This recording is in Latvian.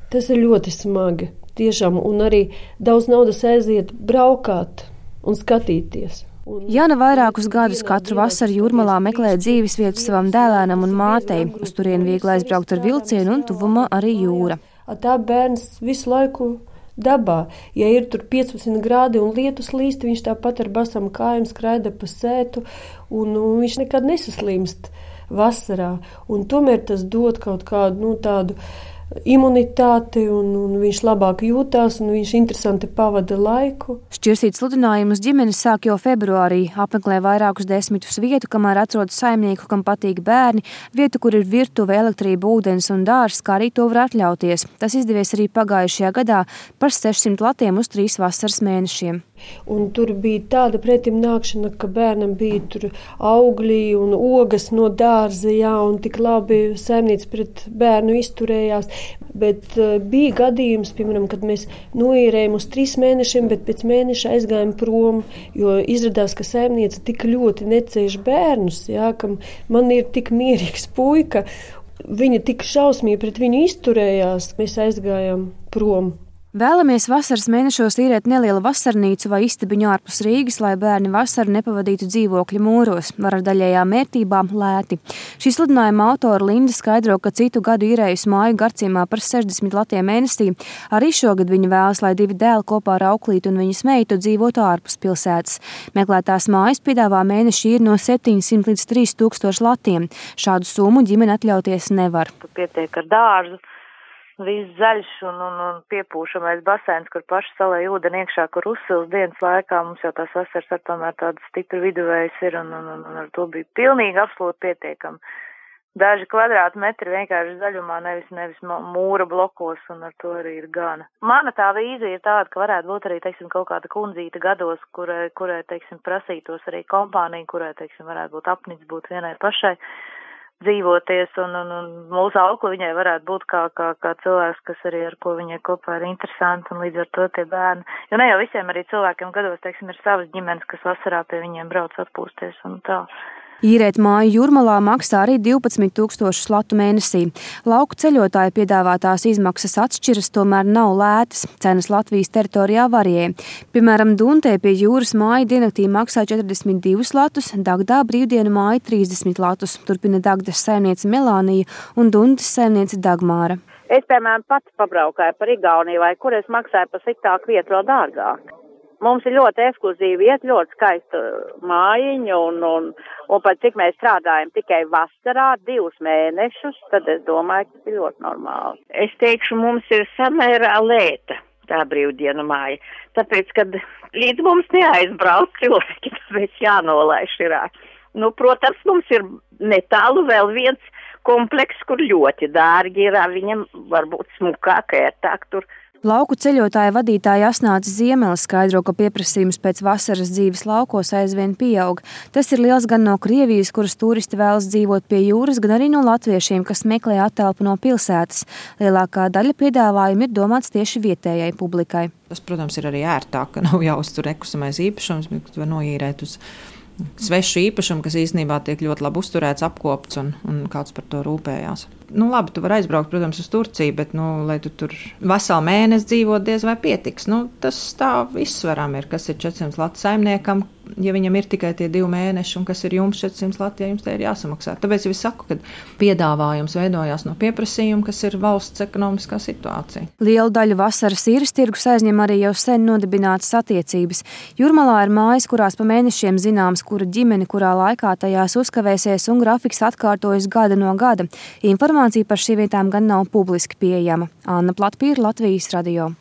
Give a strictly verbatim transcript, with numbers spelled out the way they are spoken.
Tas ir ļoti smagi, tiešām, un arī daudz naudas aiziet braukāt un skatīties. Jāna vairākus gadus katru vasaru Jūrmalā meklē dzīves vietu savam dēlēnam un mātei. Uz turieni viegli aizbraukt ar vilcienu un tuvumā arī jūra. Tā bērns visu laiku dabā. Ja ir tur piecpadsmit grādi un lietus līst, viņš tāpat ar basām kājām skraida pa sētu, un, un viņš nekad nesaslimst vasarā. Un tomēr tas dod kaut kādu nu, tādu imunitāti, un, un viņš labāk jūtās, un viņš interesanti pavada laiku. Šķirsīt sludinājumus ģimenes sāk jau februārī. Apmeklē vairākus desmitus vietu, kamēr atrod saimnieku, kam patīk bērni, vietu, kur ir virtuve, elektrība, ūdens un dārs, kā arī to var atļauties. Tas izdevies arī pagājušajā gadā par sešsimt latiem uz trīs vasaras mēnešiem. Un tur bija tāda pretim nākšana, ka bērnam bija tur augļi un ogas no dārza, jā, un tik labi saimniece pret bērnu izturējās. Bet uh, bija gadījums, piemēram, kad mēs noīrējām uz trīs mēnešiem, bet pēc mēneša aizgājām prom, jo izrādās, ka saimniece tik ļoti necēž bērnus, jā, ka man ir tik mierīgs puika, viņa tik šausmīgi pret viņu izturējās, mēs aizgājām prom. Vēlamies vasaras mēnešos īrēt nelielu vasarnīcu vai istabiņu ārpus Rīgas, lai bērni vasaru nepavadītu dzīvokļu mūros, var ar daļējām mērtībām lēti. Šī sludinājuma autora Linda skaidro, ka citu gadu īrējusi māju Garciemā par sešdesmit latiem mēnesī. Arī šogad viņa vēlas, lai divi dēli kopā ar auklīti un viņas meitu dzīvotu ārpus pilsētas. Meklētās mājas piedāvā mēneši ir no septiņsimt līdz trīs tūkstoši latiem. Šādu summu ģimene atļauties nevar. Pietiek ar dārzu. Viss zaļš un, un, un piepūšamais basēns, kur paši salēja ūdeni iekšā, kur uzsils dienas laikā. Mums jau tās vasaras ar tomēr tādas stipri viduvējas ir, un, un, un, un ar to bija pilnīgi absolūti pietiekami. Daži kvadrātmetri vienkārši zaļumā, nevis, nevis mūra blokos, un ar to arī ir gana. Mana tā vīzija ir tāda, ka varētu būt arī, teiksim, kaut kāda kundzīta gados, kurai, kurai teiksim, prasītos arī kompānija, kurai, teiksim, varētu būt apnicis būt vienai pašai dzīvoties, un, un, un mūsu aukli viņai varētu būt kā, kā, kā cilvēks, kas arī ar ko viņai kopā ir interesanti, un līdz ar to tie bērni. Jo ne jau visiem arī cilvēkiem gados, teiksim, ir savas ģimenes, kas vasarā pie viņiem brauc atpūsties un tā. Īrēt māju Jūrmalā maksā arī divpadsmit tūkstošus latu mēnesī. Lauku ceļotāju piedāvātās izmaksas atšķiras, tomēr nav lētas. Cenas Latvijas teritorijā varijē. Piemēram, Duntē pie jūras māja diennaktī maksā četrdesmit divus latus, Dagdā brīvdienu māja trīsdesmit latus. Turpina Dagdas saimniece Melānija un Duntas saimniece Dagmāra. Es, piemēram, pati pabraukāju par Igauniju, vai kur es maksāju par sliktāku vietu vēl dārgāk. Mums ir ļoti ekskluzīva vieta, ļoti skaista mājiņa, un, un, un pat cik mēs strādājam tikai vasarā, divus mēnešus, tad es domāju, ka tas ir ļoti normāli. Es teikšu, mums ir samērā lēta tā brīvdienu māja, tāpēc, kad līdz mums neaizbrauc cilvēki, tāpēc jānolaiž ir. Nu, protams, mums ir netālu vēl viens komplekss, kur ļoti dārgi ir, viņam varbūt smukāk, ērtāk tur. Lauku ceļotāja vadītāja Asnāca Ziemeles skaidro, ka pieprasījums pēc vasaras dzīves laukos aizvien pieaug. Tas ir liels gan no Krievijas, kuras turisti vēlas dzīvot pie jūras, gan arī no latviešiem, kas meklē attelpu no pilsētas. Lielākā daļa piedāvājumu ir domāts tieši vietējai publikai. Tas, protams, ir arī ērtāk, ka nav jāuztur nekustamais īpašums, bet var noīrēt uz svešu īpašumu, kas īstenībā tiek ļoti labi uzturēts, apkopts un, un kāds par to rūpējās. Nu, labi, tu vari aizbraukt, protams, uz Turciju, bet, nu, lai tu tur veselu mēnesi dzīvot, diez vai pietiks. Nu, tas tā izsveram ir, kas ir četrsimt latu saimniekam, ja viņam ir tikai tie divi mēneši, un kas ir jums četrsimt lati, ja jums te ir jāsamaksā. Tāpēc jau es saku, ka piedāvājums veidojās no pieprasījuma, kas ir valsts ekonomiskā situācija. Lielu daļu vasaras īres tirgus aizņem arī jau sen nodibinātas attiecības. Jūrmalā ir mājas, kurās pa mēnešiem zināms, kura ģimene, kurā laikā tajās uzkavēsies, un grafiks atkārtojas gada no gada. Informācija par šīm vietām gan nav publiski pieejama. Anna Platpīra, Latvijas radio.